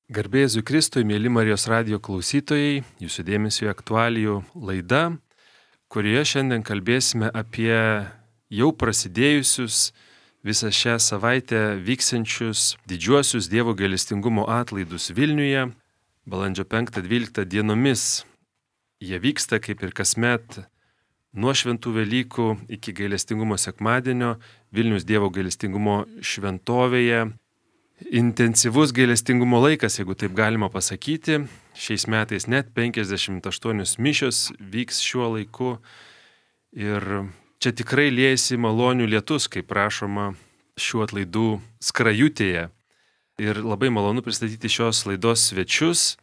Garbė Jėzui Kristui, mėly Marijos radijo klausytojai, jūsų dėmesio aktualijų laida, kurioje šiandien kalbėsime apie jau prasidėjusius visą šią savaitę vyksiančius didžiuosius Dievo gailestingumo atlaidus Vilniuje, balandžio 5-12 dienomis. Jie vyksta kaip ir kasmet nuo Šventų Velykų iki gailestingumo sekmadienio Vilniaus Dievo gailestingumo šventovėje. Intensyvus gailestingumo laikas, jeigu taip galima pasakyti. Šiais metais net 58 mišios vyks šiuo laiku. Ir čia tikrai liejasi malonių lietus, kaip rašoma šių atlaidų skrajutėje. Ir labai malonu pristatyti šios laidos svečius.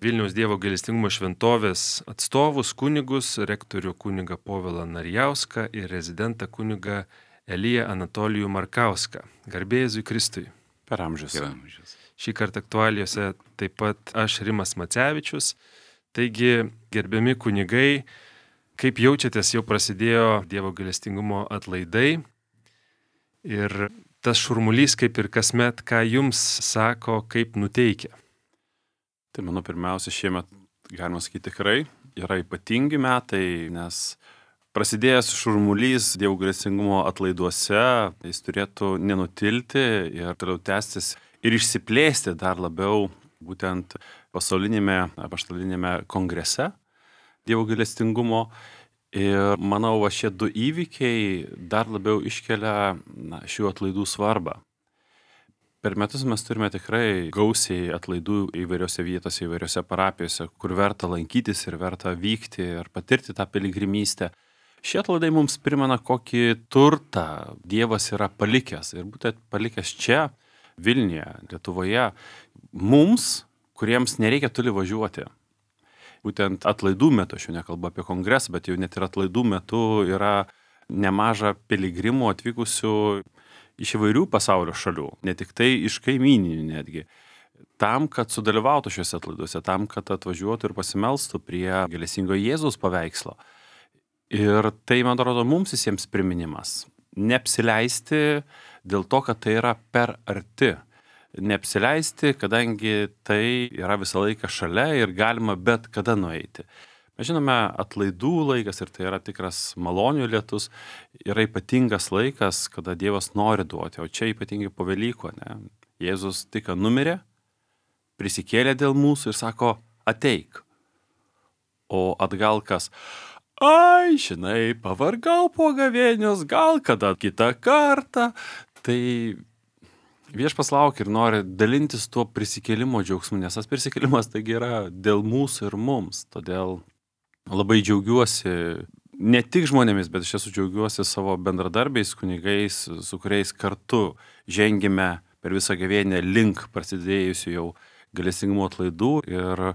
Vilniaus Dievo gailestingumo šventovės atstovus, kunigus, rektorių kunigą Povilą Narijauską ir rezidentą kunigą Eliją Anatolijų Markauską. Garbė Jėzui Kristui. Per amžius. Šį kartą aktualijose taip pat aš, Rimas Macevičius. Taigi, gerbiami kunigai, kaip jaučiatės, jau prasidėjo Dievo gailestingumo atlaidai. Ir tas šurmulys, kaip ir kasmet, ką jums sako, kaip nuteikia. Tai manau, pirmiausia, šiemet, galima sakyti, tikrai yra ypatingi metai, nes prasidėjęs šurmulys Dievo gailestingumo atlaiduose, jis turėtų nenutilti ir toliau tęstis ir išsiplėsti dar labiau būtent pasaulinėme apaštalinėme kongrese Dievo gailestingumo. Ir manau, šie du įvykiai dar labiau iškelia šių atlaidų svarbą. Per metus mes turime tikrai gausiai atlaidų įvairiose vietose, įvairiose parapijose, kur verta lankytis ir verta vykti ir patirti tą piligrimystę. Šie atlaidai mums primena, kokį turtą Dievas yra palikęs. Ir būtent palikęs čia, Vilniuje, Lietuvoje, mums, kuriems nereikia toli važiuoti. Būtent atlaidų metu, aš jau nekalbu apie kongresą, bet jau net ir atlaidų metu yra nemaža piligrimų atvykusių iš įvairių pasaulio šalių, ne tik tai iš kaimyninių netgi. Tam, kad sudalyvautų šiuose atlaiduose, tam, kad atvažiuotų ir pasimelstų prie gailestingo Jėzaus paveikslo. Ir tai, man atrodo, mums visiems priminimas. Neapsileisti dėl to, kad tai yra per arti. Neapsileisti, kadangi tai yra visą laiką šalia ir galima bet kada nueiti. Mes žinome, atlaidų laikas ir tai yra tikras malonių lietus, yra ypatingas laikas, kada Dievas nori duoti, o čia ypatingai po Velykų, ne? Jėzus tik numirė, prisikėlė dėl mūsų ir sako, ateik. O atgal kas? Ai, žinai, pavargau po gavėnios, gal kada kitą kartą. Tai Viešpats laukia ir nori dalintis tuo prisikėlimo džiaugsmu, nes tas prisikėlimas taigi yra dėl mūsų ir mums. Todėl labai džiaugiuosi ne tik žmonėmis, bet iš tiesų džiaugiuosi savo bendradarbiais, kunigais, su kuriais kartu žengėme per visą gavėnią link prasidėjusių jau gailestingumo atlaidų ir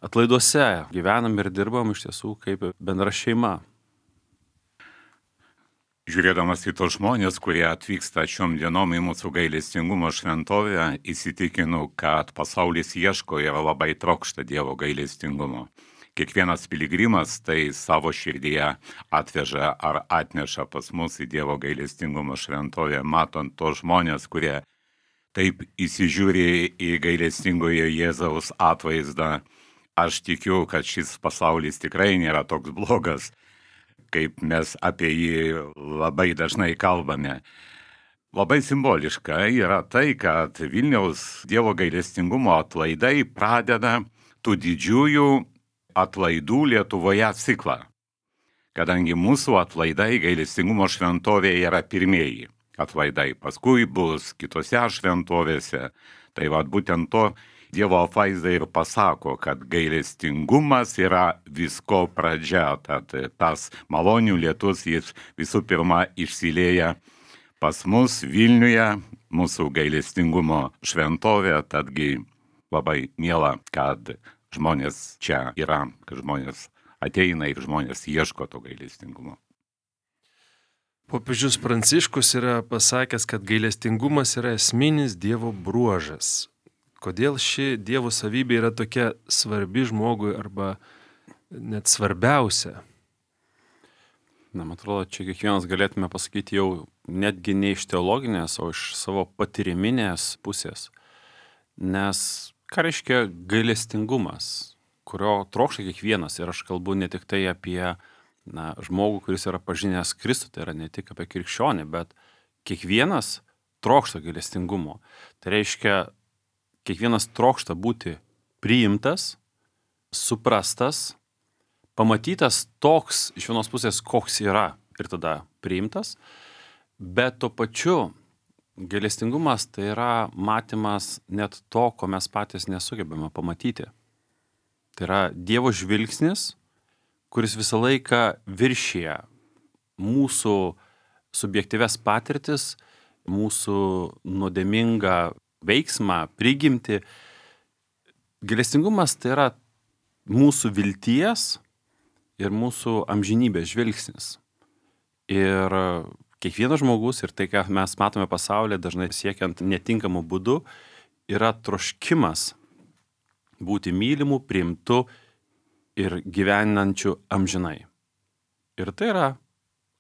atlaiduose gyvenam ir dirbam iš tiesų kaip bendra šeima. Žiūrėdamas į tos žmonės, kurie atvyksta šiom dienom į mūsų gailestingumo šventovę, įsitikinu, kad pasaulis ieško ir labai trokšta Dievo gailestingumo. Kiekvienas piligrimas tai savo širdyje atveža ar atneša pas mus į Dievo gailestingumo šventovę, matant tos žmonės, kurie taip įsižiūri į gailestingojo Jėzaus atvaizdą. Aš tikiu, kad šis pasaulis tikrai nėra toks blogas, kaip mes apie jį labai dažnai kalbame. Labai simboliška yra tai, kad Vilniaus Dievo gailestingumo atlaidai pradeda tų didžiųjų atlaidų Lietuvoje ciklą, kadangi mūsų atlaidai gailestingumo šventovėje yra pirmieji atlaidai, paskui bus kitose šventovėse. Tai būtent to Dievo apvaizda ir pasako, kad gailestingumas yra visko pradžia, tad tas malonių lietus jis visų pirma išsilieja pas mus Vilniuje, mūsų gailestingumo šventovė, tadgi labai miela, kad žmonės čia yra, kad žmonės ateina ir žmonės ieško to gailestingumo. Popiežius Pranciškus yra pasakęs, kad gailestingumas yra esminis Dievo bruožas. Kodėl ši Dievo savybė yra tokia svarbi žmogui arba net svarbiausia? Man atrodo, čia kiekvienas galėtume pasakyti jau netgi ne iš teologinės, o iš savo patyriminės pusės. Nes Ką reiškia gailestingumas, kurio trokšta kiekvienas? Ir aš kalbu ne tik tai apie žmogų, kuris yra pažinęs Kristų, tai yra ne tik apie krikščionį, bet kiekvienas trokšta gailestingumo. Tai reiškia, kiekvienas trokšta būti priimtas, suprastas, pamatytas toks iš vienos pusės, koks yra ir tada priimtas, bet tuo pačiu gailestingumas tai yra matymas net to, ko mes patys nesugebame pamatyti. Tai yra Dievo žvilgsnis, kuris visą laiką viršyje mūsų subjektyves patirtis, mūsų nuodėmingą veiksmą, prigimtį. Gailestingumas tai yra mūsų vilties ir mūsų amžinybės žvilgsnis. Ir kiekvienas žmogus ir tai, ką mes matome pasaulyje, dažnai siekiant netinkamų būdų, yra troškimas būti mylimu, priimtu ir gyvenančiu amžinai. Ir tai yra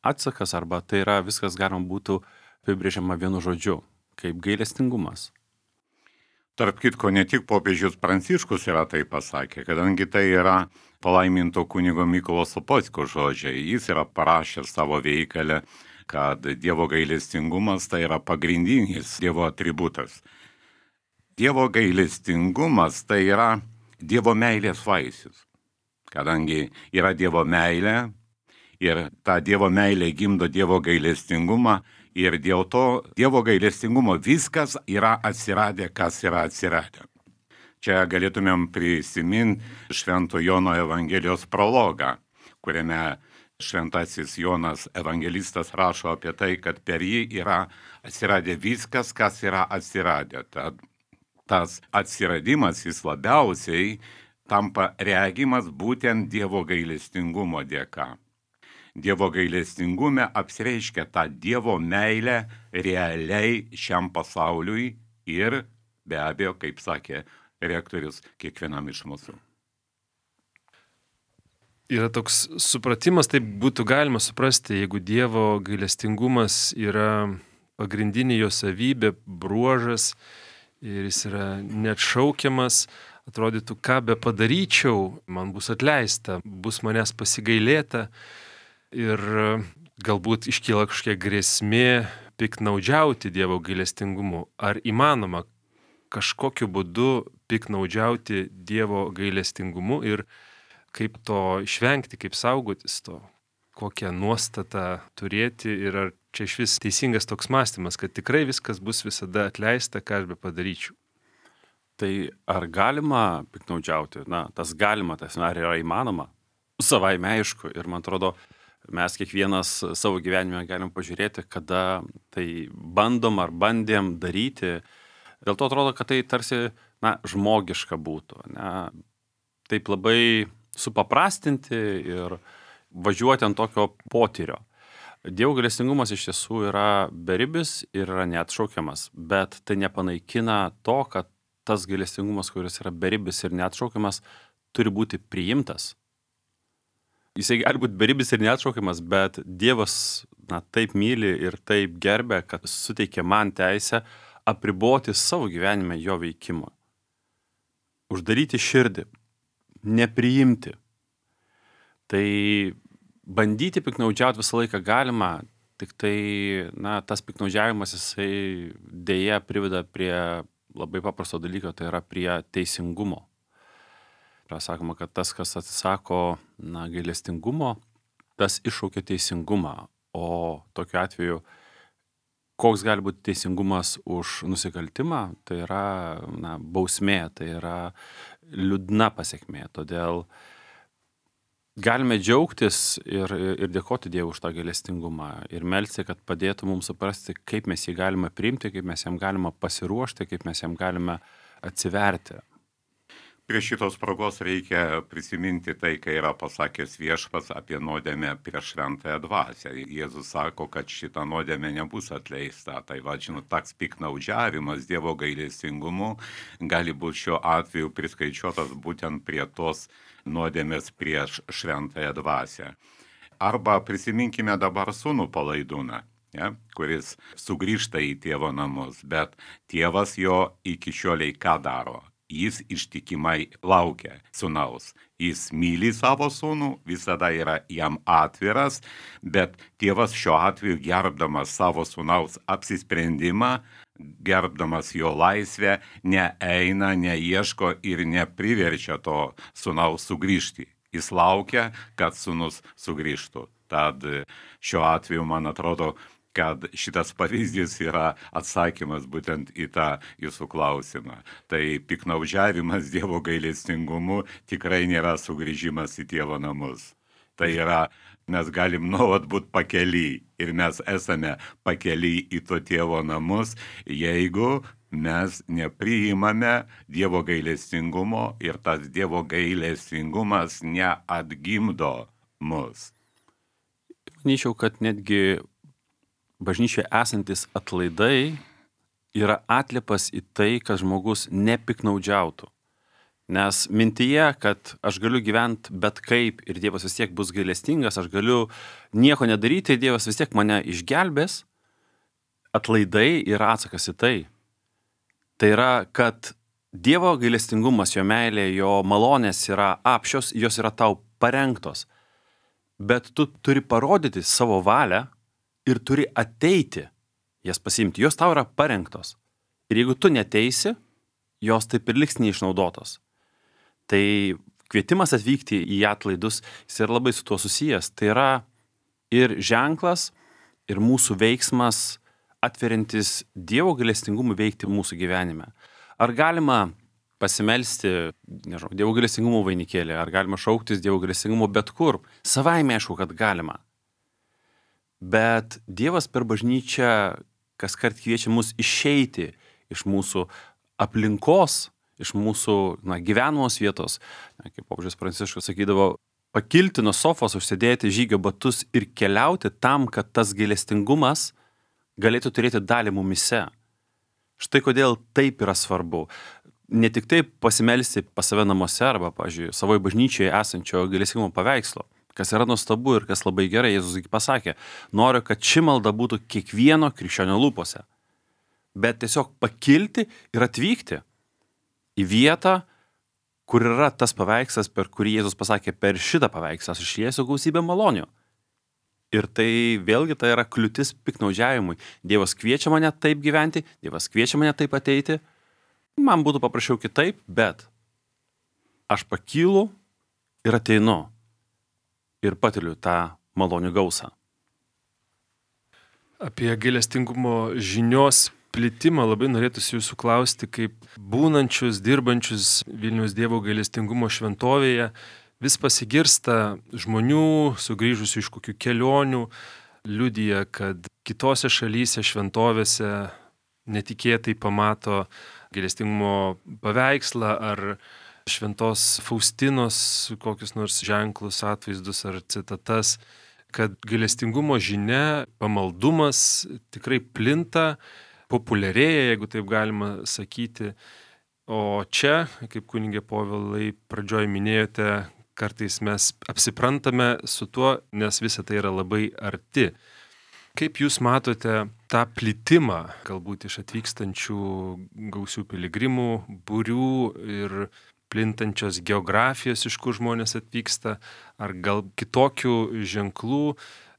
atsakas, arba tai yra viskas galima būtų apibrėžiama vienu žodžiu, kaip gailestingumas. Tarp kitko, ne tik popiežius Pranciškus yra tai pasakė, kadangi tai yra palaiminto kunigo Mykolo Sopockio žodžiai. Jis yra parašęs savo veikale, kad Dievo gailestingumas tai yra pagrindinis Dievo atributas. Dievo gailestingumas tai yra Dievo meilės vaisius, kadangi yra Dievo meilė ir ta Dievo meilė gimdo Dievo gailestingumą. Ir dėl to Dievo gailestingumo viskas yra atsiradę, kas yra atsiradę. Čia galėtumėm prisiminti Švento Jono Evangelijos prologą, kuriame šventasis Jonas evangelistas rašo apie tai, kad per jį yra atsiradę viskas, kas yra atsiradę. Tad tas atsiradimas jis labiausiai tampa regimas būtent Dievo gailestingumo dėka. Dievo gailestingume apsireiškia tą Dievo meilę realiai šiam pasauliui ir, be abejo, kaip sakė rektorius, kiekvienam iš mūsų. Yra toks supratimas, taip būtų galima suprasti, jeigu Dievo gailestingumas yra pagrindinė jo savybė, bruožas ir jis yra neatšaukiamas, atrodytų, ką be padaryčiau, man bus atleista, bus manęs pasigailėta. Ir galbūt iškyla kažkokia grėsmė piknaudžiauti Dievo gailestingumu. Ar įmanoma kažkokiu būdu piknaudžiauti Dievo gailestingumu ir kaip to išvengti, kaip saugotis to, kokią nuostatą turėti ir ar čia iš vis teisingas toks mąstymas, kad tikrai viskas bus visada atleista, ką aš be padaryčiau. Tai ar galima piknaudžiauti? Tas galima, ar yra įmanoma? Savaime aišku. Ir man atrodo, mes kiekvienas savo gyvenime galim pažiūrėti, kada tai bandom ar bandėm daryti. Dėl to atrodo, kad tai tarsi žmogiška būtų. Taip labai supaprastinti ir važiuoti ant tokio potyrio. Dievo gailestingumas iš tiesų yra beribis ir yra neatšaukiamas, bet tai nepanaikina to, kad tas gailestingumas, kuris yra beribis ir neatšaukiamas, turi būti priimtas. Jisai gali būti beribis ir neatšaukiamas, bet Dievas taip myli ir taip gerbia, kad suteikė man teisę apriboti savo gyvenime jo veikimo. Uždaryti širdį, nepriimti. Tai bandyti piknaudžiauti visą laiką galima, tik tai tas piknaudžiavimas jisai dėja priveda prie labai paprasto dalyko, tai yra prie teisingumo. Yra sakoma, kad tas, kas atsisako gailestingumo, tas iššaukia teisingumą. O tokiu atveju, koks gali būti teisingumas už nusikaltimą, tai yra bausmė, tai yra liūdna pasekmė. Todėl galime džiaugtis ir dėkoti Dievui už tą gailestingumą ir melsti, kad padėtų mums suprasti, kaip mes jį galime priimti, kaip mes jam galime pasiruošti, kaip mes jam galime atsiverti. Prie šitos progos reikia prisiminti tai, kai yra pasakęs Viešpats apie nuodėmę prieš šventąją dvasią. Jėzus sako, kad šita nuodėmė nebus atleista. Tai toks piknaudžiavimas Dievo gailestingumu gali būti šiuo atveju priskaičiuotas būtent prie tos nuodėmės prieš šventąją dvasią. Arba prisiminkime dabar sūnų Palaidūną, kuris sugrįžta į tėvo namus, bet tėvas jo iki šioliai ką daro? jis ištikimai laukia sūnaus. Jis myli savo sūnų, visada yra jam atviras, bet tėvas šiuo atveju gerbdamas savo sūnaus apsisprendimą, gerbdamas jo laisvę, neeina, neieško ir nepriverčia to sūnaus sugrįžti. Jis laukia, kad sūnus sugrįžtų. Tad šiuo atveju, man atrodo, kad šitas pavyzdys yra atsakymas būtent į tą jūsų klausimą. Tai piknaudžiavimas Dievo gailestingumu tikrai nėra sugrįžimas į tėvo namus. Tai yra, mes galim nuolat būti pakely ir mes esame pakely į to tėvo namus, jeigu mes nepriimame Dievo gailestingumo ir tas Dievo gailestingumas neatgimdo mus. Manyčiau, kad netgi bažnyčioje esantis atlaidai yra atliepas į tai, kad žmogus nepiknaudžiautų. Nes mintyje, kad aš galiu gyventi bet kaip ir Dievas vis tiek bus gailestingas, aš galiu nieko nedaryti ir Dievas vis tiek mane išgelbės, atlaidai yra atsakas į tai. Tai yra, kad Dievo gailestingumas, jo meilė, jo malonės yra apšios, jos yra tau parengtos. Bet tu turi parodyti savo valią ir turi ateiti jas pasiimti. Jos tau yra parengtos. Ir jeigu tu neteisi, jos taip ir liks neišnaudotos. Tai kvietimas atvykti į atlaidus, jis yra labai su tuo susijęs. Tai yra ir ženklas, ir mūsų veiksmas atveriantis Dievo gailestingumui veikti mūsų gyvenime. Ar galima pasimelsti, nežinau, Dievo gailestingumo vainikėlį, ar galima šauktis Dievo gailestingumo bet kur? Savaime aišku, kad galima. Bet Dievas per bažnyčią kaskart kviečia mus išeiti iš mūsų aplinkos, iš mūsų gyvenamos vietos. Kaip popiežius Pranciškus sakydavo, pakilti nuo sofos, užsidėti žygio batus ir keliauti tam, kad tas gailestingumas galėtų turėti dalį mumise. Štai kodėl taip yra svarbu. Ne tik taip pasimelsti pas save namuose arba, pavyzdžiui, savoje bažnyčioje esančio gailestingumo paveikslo, kas yra nuostabu ir kas labai gerai. Jėzus pasakė, noriu, kad ši malda būtų kiekvieno krikščionio lūpose. Bet tiesiog pakilti ir atvykti į vietą, kur yra tas paveikslas, per kurį Jėzus pasakė, per šitą paveikslą aš išliesiu gausybę malonių. Ir tai vėlgi tai yra kliūtis piknaudžiavimui. Dievas kviečia mane taip gyventi, Dievas kviečia mane taip ateiti. Man būtų paprašiau kitaip, bet aš pakylu ir ateinu. Ir patiriu tą malonių gausą. Apie gailestingumo žinios plitimą labai norėtųsi jūsų klausti, kaip būnančius, dirbančius Vilniaus Dievo gailestingumo šventovėje vis pasigirsta žmonių, sugrįžusių iš kokių kelionių, liudija, kad kitose šalyse, šventovėse netikėtai pamato gailestingumo paveikslą ar šventos Faustinos kokius nors ženklus, atvaizdus ar citatas, kad gailestingumo žinia, pamaldumas tikrai plinta, populiarėja, jeigu taip galima sakyti. O čia, kaip kunigė Povilai pradžioj minėjote, kartais mes apsiprantame su tuo, nes visa tai yra labai arti. Kaip jūs matote tą plitimą, galbūt iš atvykstančių gausių piligrimų, būrių ir plintančios geografijos, iš kur žmonės atvyksta, ar gal kitokių ženklų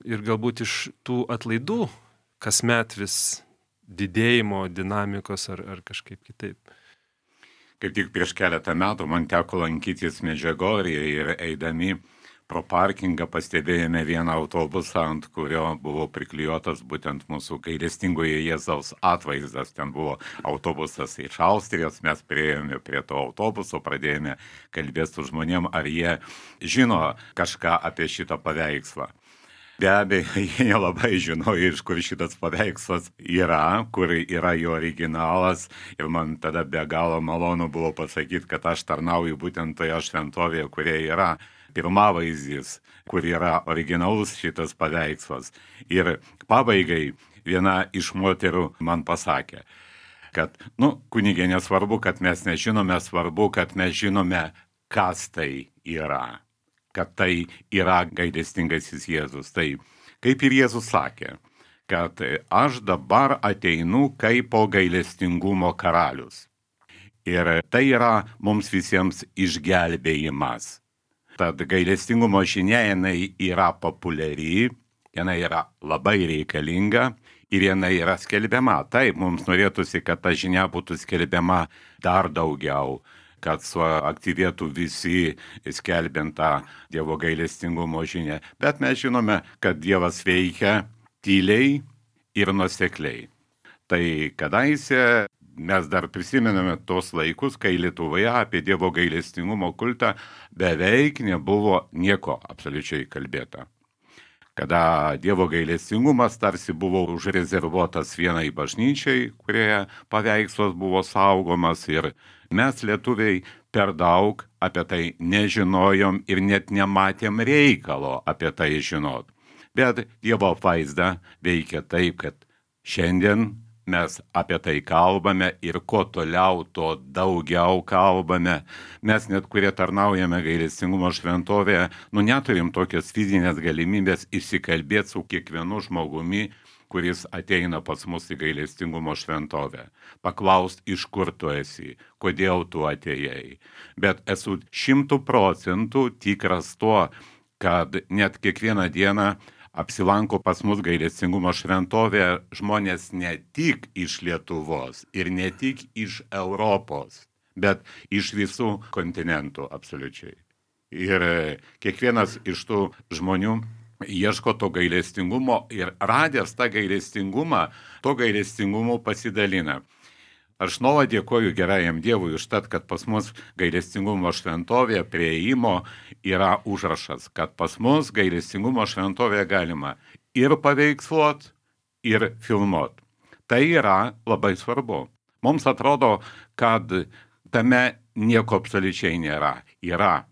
ir galbūt iš tų atlaidų kasmet vis didėjimo dinamikos ar kažkaip kitaip? Kaip tik prieš keletą metų man teko lankytis Medžiugorjėje ir eidami pro parkingą pastebėjome vieną autobusą, ant kurio buvo priklijuotas būtent mūsų gailestingojo Jėzaus atvaizdas. Ten buvo autobusas iš Austrijos, mes priėjome prie to autobuso, pradėjome kalbėti su žmonėm, ar jie žino kažką apie šitą paveikslą. Be abejo, jie nelabai žinojo, iš kur šitas paveikslas yra, kur yra jo originalas. Ir man tada be galo malonu buvo pasakyti, kad aš tarnauju būtent toje šventovėje, kurie yra pirmavaizdis, kur yra originalus šitas paveikslas. Ir pabaigai viena iš moterų man pasakė, kad, kunigė, nesvarbu, kad mes nežinome, svarbu, kad mes žinome, kas tai yra. Kad tai yra gailestingasis Jėzus. Tai kaip ir Jėzus sakė, kad aš dabar ateinu kaip gailestingumo karalius. Ir tai yra mums visiems išgelbėjimas. Tad gailestingumo žinia jinai yra populiari, jinai yra labai reikalinga ir jinai yra skelbiama. Taip, mums norėtųsi, kad ta žinia būtų skelbiama dar daugiau, kad suaktyvėtų visi skelbiant tą Dievo gailestingumo žinią. Bet mes žinome, kad Dievas veikia tyliai ir nuosekliai. Tai kadaise mes dar prisimename tos laikus, kai Lietuvoje apie Dievo gailestingumo kultą beveik nebuvo nieko absoliučiai kalbėta. Kada Dievo gailestingumas tarsi buvo užrezervuotas vienai bažnyčiai, kurioje paveikslas buvo saugomas ir mes lietuviai per daug apie tai nežinojom ir net nematėm reikalo apie tai žinot. Bet Dievo apvaizda veikia taip, kad šiandien mes apie tai kalbame ir kuo toliau, tuo daugiau kalbame. Mes net, kurie tarnaujame gailestingumo šventovėje, neturim tokios fizinės galimybės išsikalbėti su kiekvienu žmogumi, kuris ateina pas mus į gailestingumo šventovę. Paklaust, iš kur tu esi, kodėl tu atėjai. Bet esu 100% tikras tuo, kad net kiekvieną dieną apsilanko pas mus gailestingumo šventovėje žmonės ne tik iš Lietuvos ir ne tik iš Europos, bet iš visų kontinentų absoliučiai. Ir kiekvienas iš tų žmonių ieško to gailestingumo ir radęs tą gailestingumą, to gailestingumu pasidalina. Aš nuolat dėkoju gerajam Dievui už tai, kad pas mus gailestingumo šventovėje prie įėjimo yra užrašas, kad pas mus gailestingumo šventovėje galima ir paveiksluot, ir filmuot. Tai yra labai svarbu. Mums atrodo, kad tame nieko absoliučiai nėra. Yra.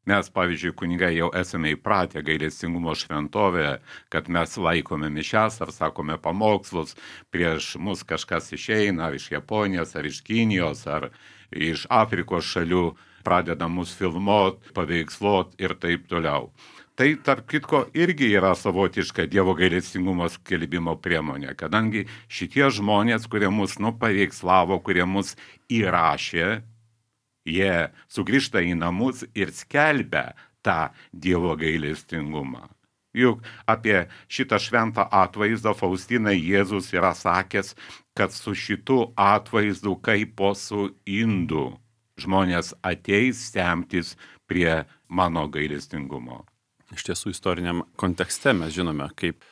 Mes, pavyzdžiui, kunigai jau esame įpratę gailestingumo šventovėje, kad mes laikome mišias ar sakome pamokslus, prieš mus kažkas išeina ar iš Japonijos, ar iš Kinijos, ar iš Afrikos šalių, pradeda mus filmuot, paveiksluot ir taip toliau. Tai, tarp kitko, irgi yra savotiška Dievo gailestingumo skelbimo priemonė, kadangi šitie žmonės, kurie mus paveikslavo, kurie mus įrašė, jie sugrįžta į namus ir skelbia tą Dievo gailestingumą. Juk apie šitą šventą atvaizdą Faustinai Jėzus yra sakęs, kad su šitu atvaizdu kaip po su indu žmonės ateis semtis prie mano gailestingumo. Iš tiesų, istoriniam kontekste mes žinome, kaip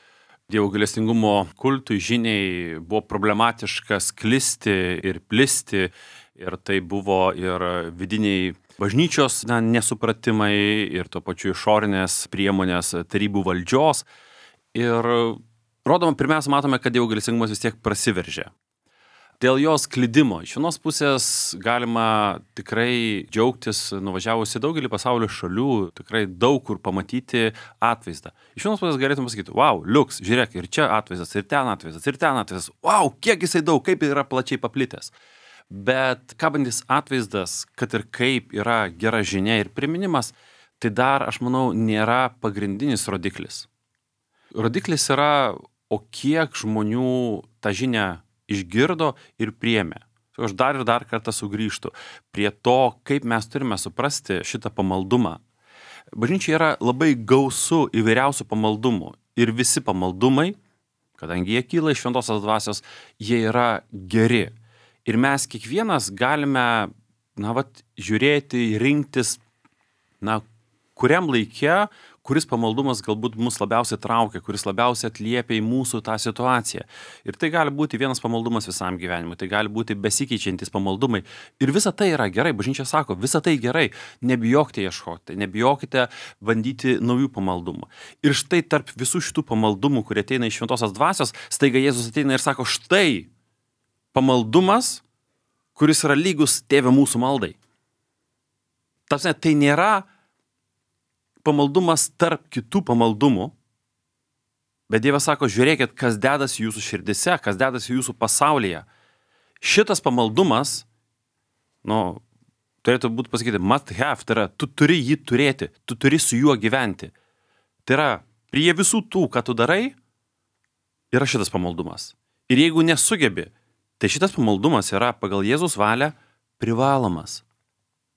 Dievo gailestingumo kultui žiniai buvo problematiška sklisti ir plisti. Ir tai buvo ir vidiniai bažnyčios nesupratimai, ir tuo pačiu išorinės priemonės tarybų valdžios. Ir pirmiausia, matome, kad Dievo gailestingumas vis tiek prasiveržė. Dėl jos klidimo iš vienos pusės galima tikrai džiaugtis, nuvažiavus į daugelį pasaulio šalių, tikrai daug kur pamatyti atvaizdą. Iš vienos pusės galėtum pasakyti, wow, liuks, žiūrėk, ir čia atvaizdas, ir ten atvaizdas, wow, kiek jisai daug, kaip yra plačiai paplitęs. Bet kabantis atvaizdas, kad ir kaip yra gera žinia ir priminimas, tai dar, aš manau, nėra pagrindinis rodiklis. Rodiklis yra, o kiek žmonių tą žinią išgirdo ir priėmė. Aš dar ir dar kartą sugrįžtu prie to, kaip mes turime suprasti šitą pamaldumą. Bažnyčia yra labai gausu įvairiausių pamaldumų. Ir visi pamaldumai, kadangi jie kyla iš šventosios dvasios, jie yra geri. Ir mes kiekvienas galime, žiūrėti, rinktis, kuriam laike, kuris pamaldumas galbūt mus labiausiai traukia, kuris labiausiai atliepia į mūsų tą situaciją. Ir tai gali būti vienas pamaldumas visam gyvenimui, tai gali būti besikeičiantis pamaldumai. Ir visa tai yra gerai, bažnyčia sako, visa tai gerai, nebijokite ieškoti, nebijokite bandyti naujų pamaldumų. Ir štai tarp visų šitų pamaldumų, kurie ateina iš šventosios dvasios, staiga Jėzus ateina ir sako, štai pamaldumas, kuris yra lygus Tėve mūsų maldai. Tai nėra pamaldumas tarp kitų pamaldumų, bet Dievas sako, žiūrėkit, kas dedasi jūsų širdise, kas dedasi jūsų pasaulyje. Šitas pamaldumas, turėtų būti pasakyti, must have, tai yra, tu turi jį turėti, tu turi su juo gyventi. Tai yra, prie visų tų, ką tu darai, yra šitas pamaldumas. Ir jeigu nesugebi, tai šitas pamaldumas yra pagal Jėzus valią privalomas.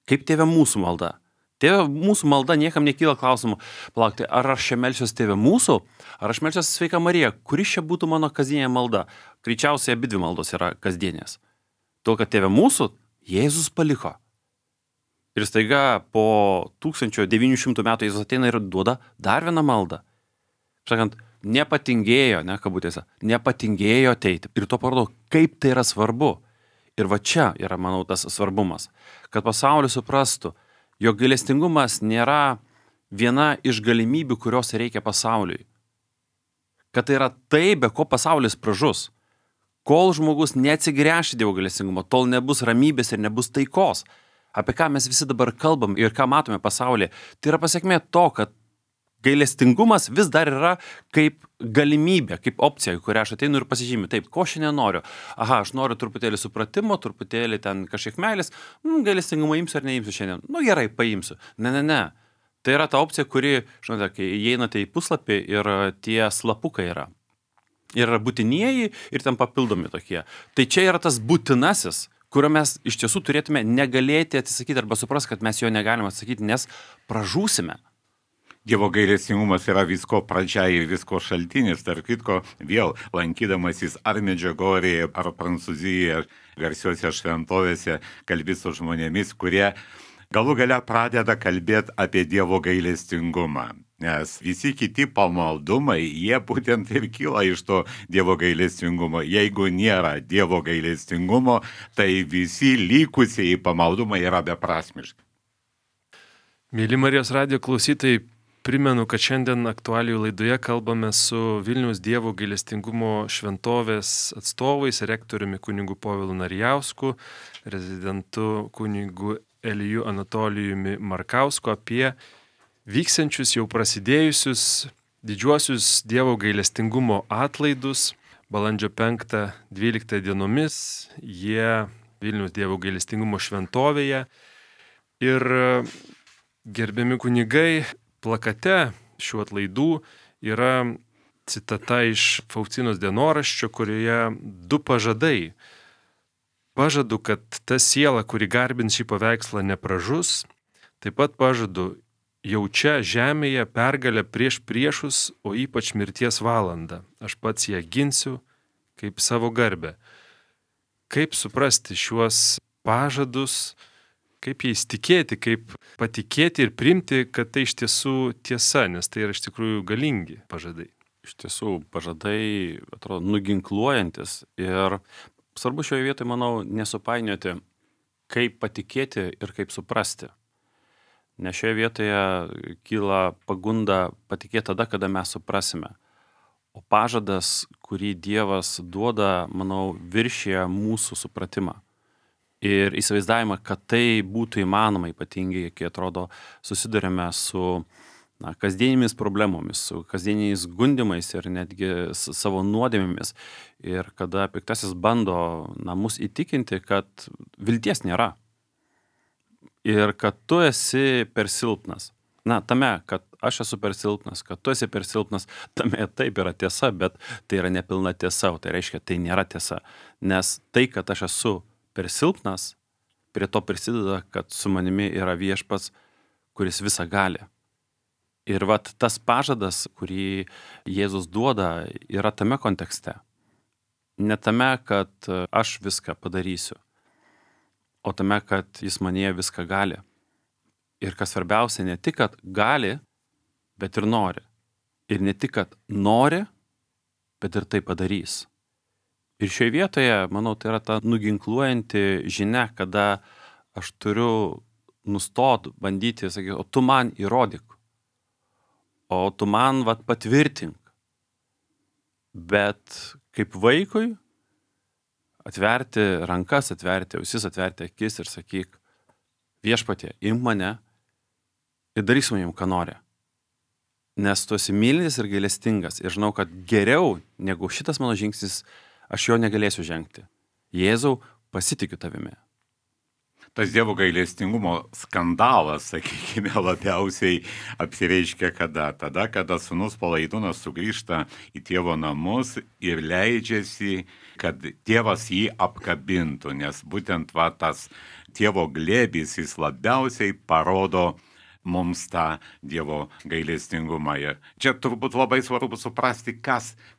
Kaip Tėve mūsų malda. Tėve mūsų malda niekam nekyla klausimų, palaukti, ar aš čia melsiuos Tėve mūsų, ar aš melsiuos Sveika Marija, kuri čia būtų mano kasdienė malda. Greičiausiai abidvi maldos yra kasdienės. Tuo, kad Tėve mūsų Jėzus paliko. Ir staiga po 1900 metų Jėzus ateina ir duoda dar vieną maldą. Sakant, nepatingėjo, kabutėse, nepatingėjo ateiti. Ir to parodo, kaip tai yra svarbu. Ir va čia yra, manau, tas svarbumas. Kad pasaulis suprastų, jog gailestingumas nėra viena iš galimybių, kurios reikia pasauliui. Kad tai yra tai, be ko pasaulis pražus. Kol žmogus neatsigręš į Dievo gailestingumą, tol nebus ramybės ir nebus taikos. Apie ką mes visi dabar kalbam ir ką matome pasaulyje, tai yra pasiekmė to, kad gailestingumas vis dar yra kaip galimybė, kaip opcija, kurią aš ateinu ir pasižymiu. Taip, ko šiandien noriu? Aha, aš noriu truputėlį supratimo, truputėlį ten kažkiek meilės. Gailestingumą imsiu ar neimsiu šiandien? Gerai, paimsiu. Ne. Tai yra ta opcija, kuri, žinote, kai įeinate į puslapį ir tie slapukai yra. Yra būtinieji ir ten papildomi tokie. Tai čia yra tas būtinasis, kurio mes iš tiesų turėtume negalėti atsisakyti arba suprasti, kad mes jo negalime atsakyti, nes pražūsime. Dievo gailestingumas yra visko pradžia ir visko šaltinis, tarp kitko, vėl lankydamasis ar Medžiugorėje, ar Prancūzijoje, garsiuose šventovėse, kalbi su žmonėmis, kurie galų gale pradeda kalbėti apie Dievo gailestingumą. Nes visi kiti pamaldumai, jie būtent ir kyla iš to Dievo gailestingumo. Jeigu nėra Dievo gailestingumo, tai visi likusieji pamaldumai yra beprasmiški. Mėly Marijos radijo klausytojai, primenu, kad šiandien aktualijų laidoje kalbame su Vilniaus Dievo gailestingumo šventovės atstovais, rektoriumi kunigu Povilu Narijausku, rezidentu kunigu Eliju Anatolijumi Markausku apie vyksiančius jau prasidėjusius didžiuosius Dievo gailestingumo atlaidus. Balandžio 5-12 dienomis jie Vilniaus Dievo gailestingumo šventovėje. Ir gerbiami kunigai, plakate šių atlaidų yra citata iš Faustinos dienoraščio, kurioje 2 pažadai. Pažadu, kad ta siela, kuri garbins šį paveikslą, nepražus. Taip pat pažadu, jau čia žemėje pergalę prieš priešus, o ypač mirties valandą. Aš pats ją ginsiu kaip savo garbę. Kaip suprasti šiuos pažadus, kaip jais tikėti, kaip patikėti ir priimti, kad tai iš tiesų tiesa, nes tai yra iš tikrųjų galingi pažadai. Iš tiesų, pažadai, atrodo, nuginkluojantis. Ir svarbu šioje vietoje, manau, nesupainioti, kaip patikėti ir kaip suprasti. Nes šioje vietoje kyla pagunda patikėti tada, kada mes suprasime. O pažadas, kurį Dievas duoda, manau, viršyje mūsų supratimą. Ir įsivaizdavimą, kad tai būtų įmanoma, ypatingai, kai atrodo susidurime su kasdienėmis problemomis, su kasdieniais gundimais ir netgi savo nuodėmėmis. Ir kada piktasis bando mus įtikinti, kad vilties nėra. Ir kad tu esi per silpnas. Tame, kad aš esu per silpnas, kad tu esi per silpnas, tame taip yra tiesa, bet tai yra nepilna tiesa, o tai reiškia, tai nėra tiesa. Nes tai, kad aš esu per silpnas, prie to prisideda, kad su manimi yra Viešpats, kuris visą gali. Ir tas pažadas, kurį Jėzus duoda, yra tame kontekste. Ne tame, kad aš viską padarysiu, o tame, kad jis manyje viską gali. Ir kas svarbiausia, ne tik, kad gali, bet ir nori. Ir ne tik, kad nori, bet ir tai padarys. Ir šioje vietoje, manau, tai yra ta nuginkluojanti žinia, kada aš turiu nustot bandyti, sakyti, o tu man įrodyk, o tu man patvirtink. Bet kaip vaikui atverti rankas, atverti ausis, atverti akis ir sakyk, Viešpatie, imk mane ir daryk su manim, ką nori. Nes tu esi mylintis ir gailestingas ir žinau, kad geriau negu šitas mano žingsnis aš jo negalėsiu žengti. Jėzau, pasitikiu tavimi. Tas Dievo gailestingumo skandalas, sakykime, labiausiai apsireiškia kada? Tada, kada sūnus Palaidūnas sugrįžta į tėvo namus ir leidžiasi, kad tėvas jį apkabintų, nes būtent tas tėvo glėbis jis labiausiai parodo mums tą Dievo gailestingumą. Ir čia turbūt labai svarbu suprasti,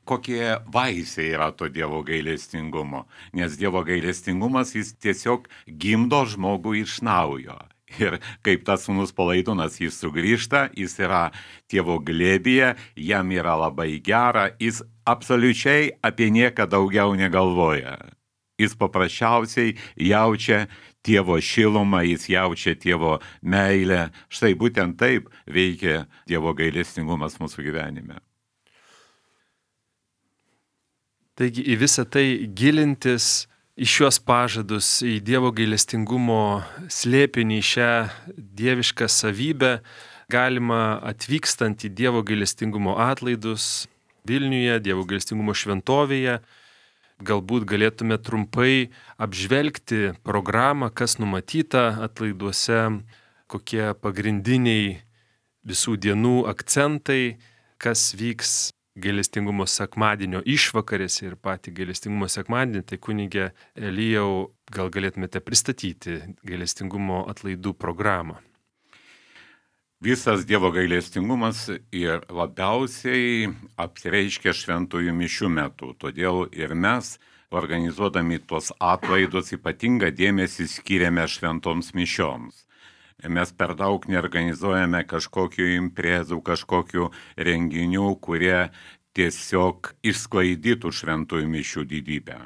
kokie vaisiai yra to Dievo gailestingumo. Nes Dievo gailestingumas jis tiesiog gimdo žmogų iš naujo. Ir kaip tas sūnus Palaidūnas, jis sugrįžta, jis yra tėvo glėbyje, jam yra labai gera, jis absoliučiai apie nieką daugiau negalvoja. Jis paprasčiausiai jaučia tėvo šilumą, jis jaučia tėvo meilę. Štai būtent taip veikia Dievo gailestingumas mūsų gyvenime. Taigi į visą tai gilintis, į šiuos pažadus, į Dievo gailestingumo slėpinį, šią dievišką savybę, galima atvykstant į Dievo gailestingumo atlaidus Vilniuje, Dievo gailestingumo šventovėje. Galbūt galėtume trumpai apžvelgti programą, kas numatyta atlaiduose, kokie pagrindiniai visų dienų akcentai, kas vyks gailestingumo sekmadienio išvakarėse ir patį gailestingumo sekmadienį. Tai kunige Elijau, gal galėtumėte pristatyti gailestingumo atlaidų programą. Visas Dievo gailestingumas ir labiausiai apsireiškia šventųjų mišių metu. Todėl ir mes, organizuodami tuos atlaidus, ypatingą dėmesį skiriame šventoms mišioms. Mes per daug neorganizuojame kažkokių imprezų, kažkokių renginių, kurie tiesiog išsklaidytų šventųjų mišių didybę.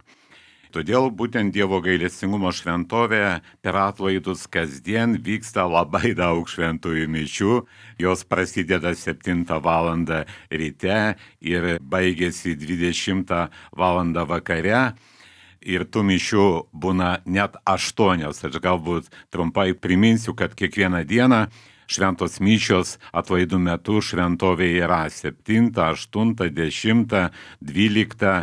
Todėl būtent Dievo gailestingumo šventovėje per atlaidus kasdien vyksta labai daug šventųjų mišių. Jos prasideda 7 valandą ryte ir baigėsi 20 valandą vakare. Ir tų mišių būna net 8. Aš galbūt trumpai priminsiu, kad kiekvieną dieną šventos mišios atlaidų metu šventovėje yra 7, 8, 10, 12,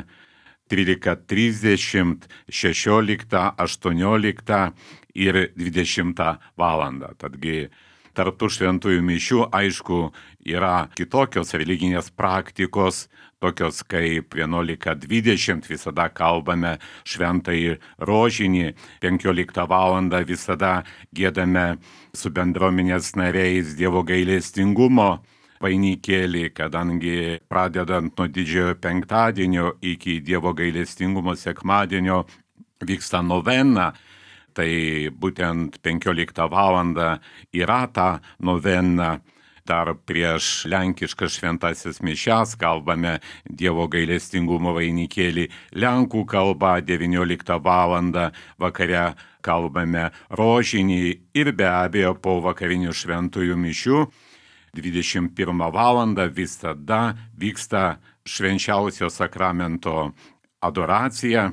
13:30, 16, 18 ir 20 valandą. Tadgi tarp tų šventųjų mišių, aišku, yra kitokios religinės praktikos, tokios kaip 11:20 visada kalbame šventąjį rožinį, 15 valandą visada giedame su bendruomenės nariais Dievo gailestingumo vainikėlį, kadangi pradedant nuo didžiojo penktadienio iki Dievo gailestingumo sekmadienio vyksta novena, tai būtent 15 valandą yra ta novena. Dar prieš lenkiškas šventasis mišias kalbame Dievo gailestingumo vainikėlį lenkų kalba, 19 valandą vakare kalbame rožinį ir be abejo po vakarinių šventųjų mišių 21 valandą visada vyksta švenčiausio sakramento adoracija,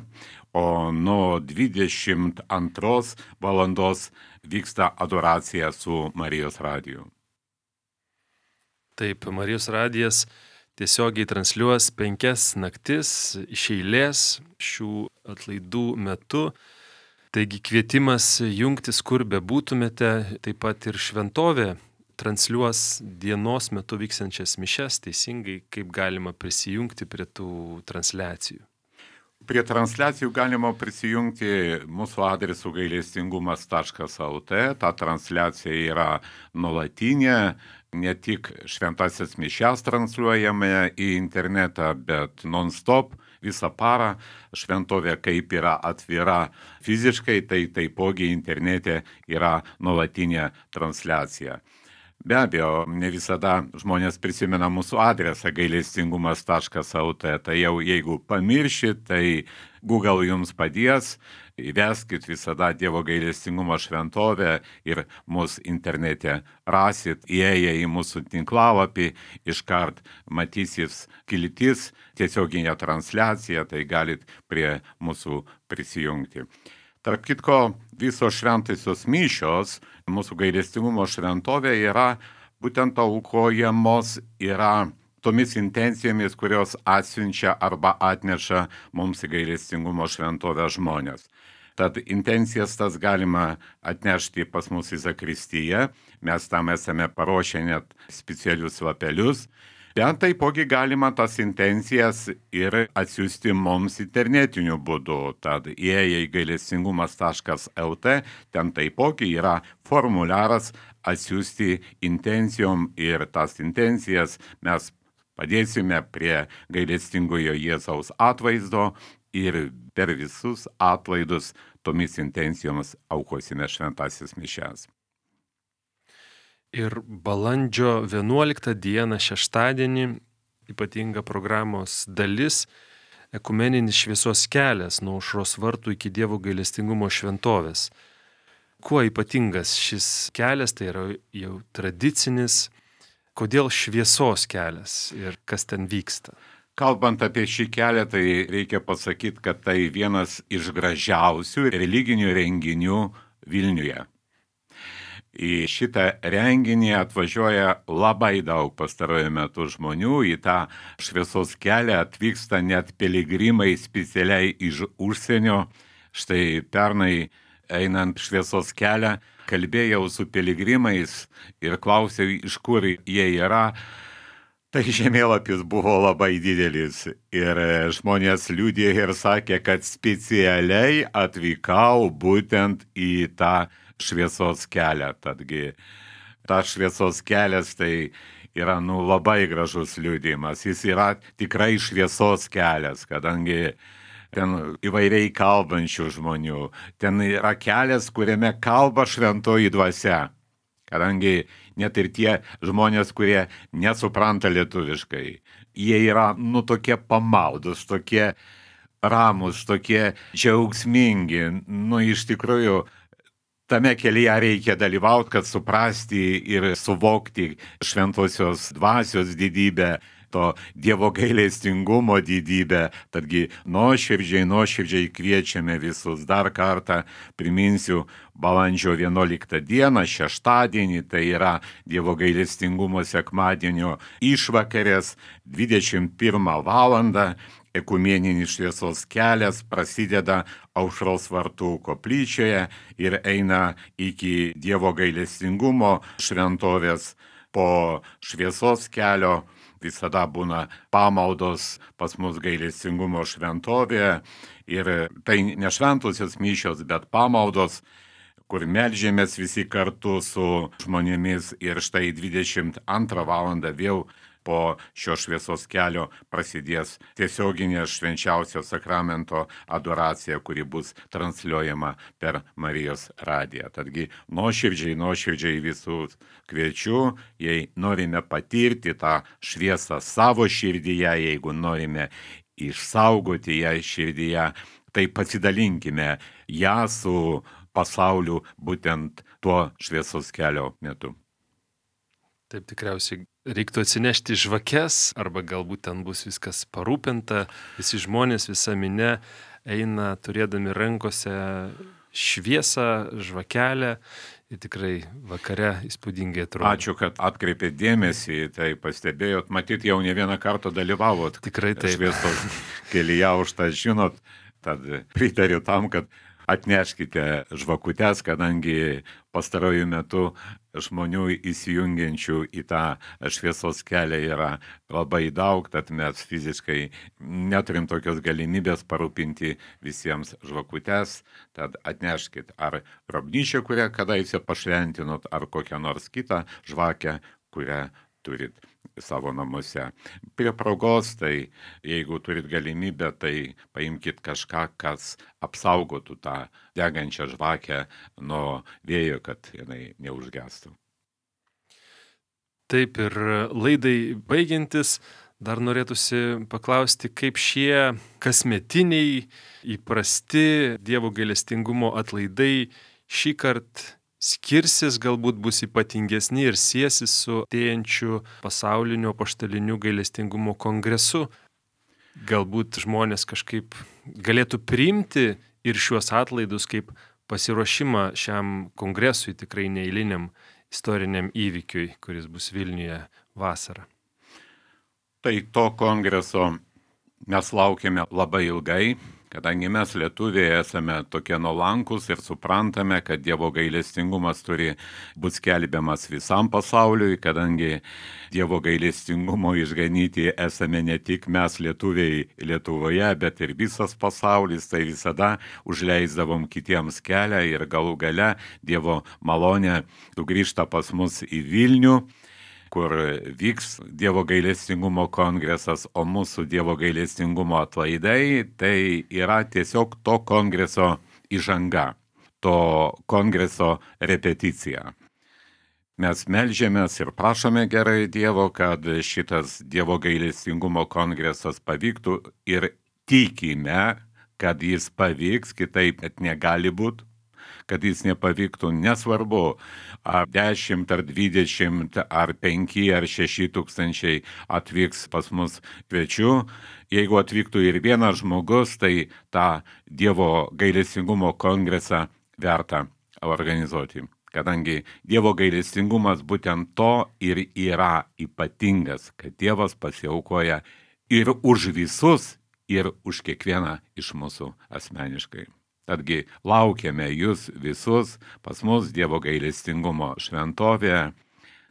o nuo 22 valandos vyksta adoracija su Marijos radiju. Taip, Marijos radijas tiesiogiai transliuos 5 naktis iš eilės šių atlaidų metu. Taigi kvietimas jungtis, kur bebūtumėte, taip pat ir šventovė transliuos dienos metu vykstančias mišias, teisingai, kaip galima prisijungti prie tų transliacijų. Prie transliacijų galima prisijungti mūsų adresu gailestingumas.lt. Ta transliacija yra nuolatinė, ne tik šventasis mišias transliuojame į internetą, bet non-stop visą parą. Šventovė kaip yra atvira fiziškai, tai taipogi internete yra nuolatinė transliacija. Be abejo, ne visada žmonės prisimena mūsų adresą gailestingumas.lt, tai jau jeigu pamiršit, tai Google jums padės, įveskit visada Dievo gailestingumo šventovę ir mus internete rasit, įėję į mūsų tinklalapį, iškart matysis kiltis, tiesioginė transliacija, tai galit prie mūsų prisijungti. Tarp kitko, visos šventosios mišios mūsų gailestingumo šventovė yra būtent aukojamos, yra tomis intencijomis, kurios atsiunčia arba atneša mums į gailestingumo šventovę žmonės. Tad intencijas tas galima atnešti pas mus į zakristiją, mes tam esame paruošę net specialius lapelius. Bet taipogi galima tas intencijas ir atsiųsti mums internetiniu būdu. Tad įėję į gailestingumas.lt, ten taipogi yra formuliaras atsiųsti intencijom ir tas intencijas mes padėsime prie gailestingojo Jėzaus atvaizdo ir per visus atlaidus tomis intencijomis aukosime šventasis mišias. Ir balandžio 11 dieną, šeštadienį, ypatinga programos dalis – ekumeninis šviesos kelias nuo aušros vartų iki Dievo gailestingumo šventovės. Kuo ypatingas šis kelias, tai yra jau tradicinis, kodėl šviesos kelias ir kas ten vyksta? Kalbant apie šį kelią, tai reikia pasakyti, kad tai vienas iš gražiausių religinių renginių Vilniuje. Į šitą renginį atvažiuoja labai daug pastaruoju metu žmonių, į tą šviesos kelią atvyksta net piligrimai specialiai iš užsienio. Štai pernai einant šviesos kelią, kalbėjau su piligrimais ir klausiau, iš kur jie yra. Tai žemėlapis buvo labai didelis ir žmonės liudė ir sakė, kad specialiai atvykau būtent į tą šviesos kelią. Tadgi, tas šviesos kelias tai yra labai gražus liudijimas. Jis yra tikrai šviesos kelias, kadangi ten įvairiai kalbančių žmonių. Ten yra kelias, kuriame kalba šventoji dvasia. Kadangi net ir tie žmonės, kurie nesupranta lietuviškai, jie yra tokie pamaldus, tokie ramus, tokie džiaugsmingi. Iš tikrųjų, tame kelyje reikia dalyvauti, kad suprasti ir suvokti šventosios dvasios didybę, to Dievo gailestingumo didybę. Tadgi nuoširdžiai kviečiame visus. Dar kartą priminsiu, balandžio 11 dieną, šeštadienį, tai yra Dievo gailestingumo sekmadienio išvakarės, 21 valandą, ekumeninis šviesos kelias prasideda Aušros vartų koplyčioje ir eina iki Dievo gailestingumo šventovės. Po šviesos kelio visada būna pamaldos pas mus gailestingumo šventovėje ir tai ne šventosios mišios, bet pamaldos, kur meldžiamės visi kartu su žmonėmis ir štai 22 valandą vėl po šio šviesos kelio prasidės tiesioginė švenčiausio sakramento adoracija, kuri bus transliuojama per Marijos radiją. Tadgi nuoširdžiai visus kviečiu, jei norime patirti tą šviesą savo širdyje, jeigu norime išsaugoti ją širdyje, tai pasidalinkime ją su pasauliu būtent tuo šviesos kelio metu. Taip, tikriausiai reiktų atsinešti žvakes, arba galbūt ten bus viskas parūpinta, visi žmonės, visa minia eina turėdami rankose šviesą, žvakelę ir tikrai vakare įspūdingai atrodo. Ačiū, kad atkreipėt dėmesį, tai pastebėjot, matyt, jau ne vieną kartą dalyvavot. Tikrai taip. Šviesos kelyje, už tą žinot, tad pritariu tam, kad atneškite žvakutes, kadangi pastaruoju metu žmonių įsijungiančių į tą šviesos kelią yra labai daug, tad mes fiziškai neturim tokios galimybės parūpinti visiems žvakutes, tad atneškit ar grobnyčią, kurią kadaise pašventinot, ar kokią nors kitą žvakę, kurią turit savo namuose. Prie progos, tai jeigu turit galimybę, tai paimkit kažką, kas apsaugotų tą degančią žvakę nuo vėjo, kad jinai neužgestų. Taip, ir laidai baigiantis, dar norėtųsi paklausti, kaip šie kasmetiniai įprasti Dievo gailestingumo atlaidai šį kartą skirsis, galbūt bus ypatingesni ir siesis su artėjančiu pasauliniu apaštaliniu gailestingumo kongresu. Galbūt žmonės kažkaip galėtų priimti ir šiuos atlaidus kaip pasiruošimą šiam kongresui, tikrai neeiliniam istoriniam įvykiui, kuris bus Vilniuje vasarą. Tai to kongreso mes laukiame labai ilgai, Kadangi mes lietuviai esame tokie nuolankus ir suprantame, kad Dievo gailestingumas turi būti skelbiamas visam pasauliui, kadangi Dievo gailestingumo išganyti esame ne tik mes lietuviai Lietuvoje, bet ir visas pasaulis, tai visada užleisdavom kitiems kelią ir galų gale Dievo malonė sugrįžta pas mus į Vilnių, kur vyks Dievo gailestingumo kongresas, o mūsų Dievo gailestingumo atlaidai tai yra tiesiog to kongreso įžanga, to kongreso repeticija. Mes melžiamės ir prašome gerai Dievo, kad šitas Dievo gailestingumo kongresas pavyktų ir tikime, kad jis pavyks, kitaip net negali būti. Kad jis nepavyktų, nesvarbu, ar 10, ar 20, ar 5, ar 6 tūkstančiai atvyks pas mus svečių. Jeigu atvyktų ir vienas žmogus, tai tą Dievo gailestingumo kongresą verta organizuoti. Kadangi Dievo gailestingumas būtent to ir yra ypatingas, kad Dievas pasiaukoja ir už visus, ir už kiekvieną iš mūsų asmeniškai. Tadgi laukiame jūs visus pas mus Dievo gailestingumo šventovėje,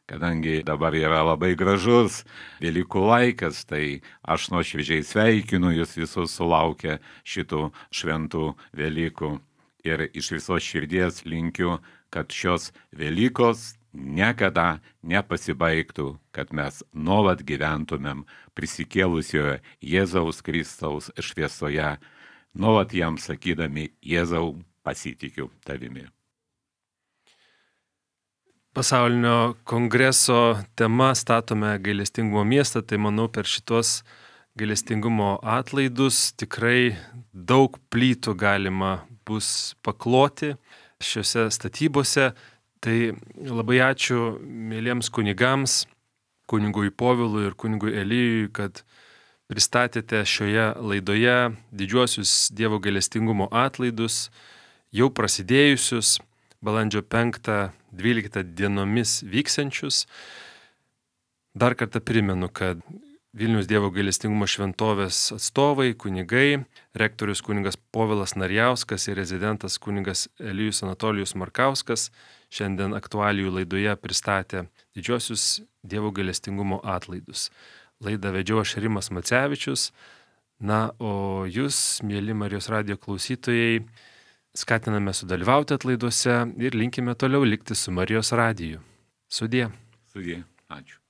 kadangi dabar yra labai gražus Velykų laikas, tai aš nuoširdžiai sveikinu jūs visus sulaukę šitų šventų Velykų ir iš visos širdies linkiu, kad šios Velykos niekada nepasibaigtų, kad mes nuolat gyventumėm prisikėlusioje Jėzaus Kristaus šviesoje, nuolat jam sakydami, Jėzau, pasitikiu tavimi. Pasaulinio kongreso tema statome gailestingumo miestą, tai manau per šitos gailestingumo atlaidus tikrai daug plytų galima bus pakloti šiuose statybose. Tai labai ačiū mėlyms kunigams, kunigui Povilui ir kunigui Elijui, kad pristatėte šioje laidoje didžiuosius Dievo gailestingumo atlaidus, jau prasidėjusius balandžio 5-12 dienomis vyksiančius. Dar kartą primenu, kad Vilniaus Dievo gailestingumo šventovės atstovai, kunigai, rektorius kunigas Povilas Narjauskas ir rezidentas kunigas Elijus Anatolijus Markauskas šiandien aktualijų laidoje pristatė didžiuosius Dievo gailestingumo atlaidus. Laidą vedžiau aš Rimas Macevičius. Na, o jūs, mėly Marijos radijo klausytojai, skatiname sudalyvauti atlaiduose ir linkime toliau likti su Marijos radiju. Sudie. Sudie. Ačiū.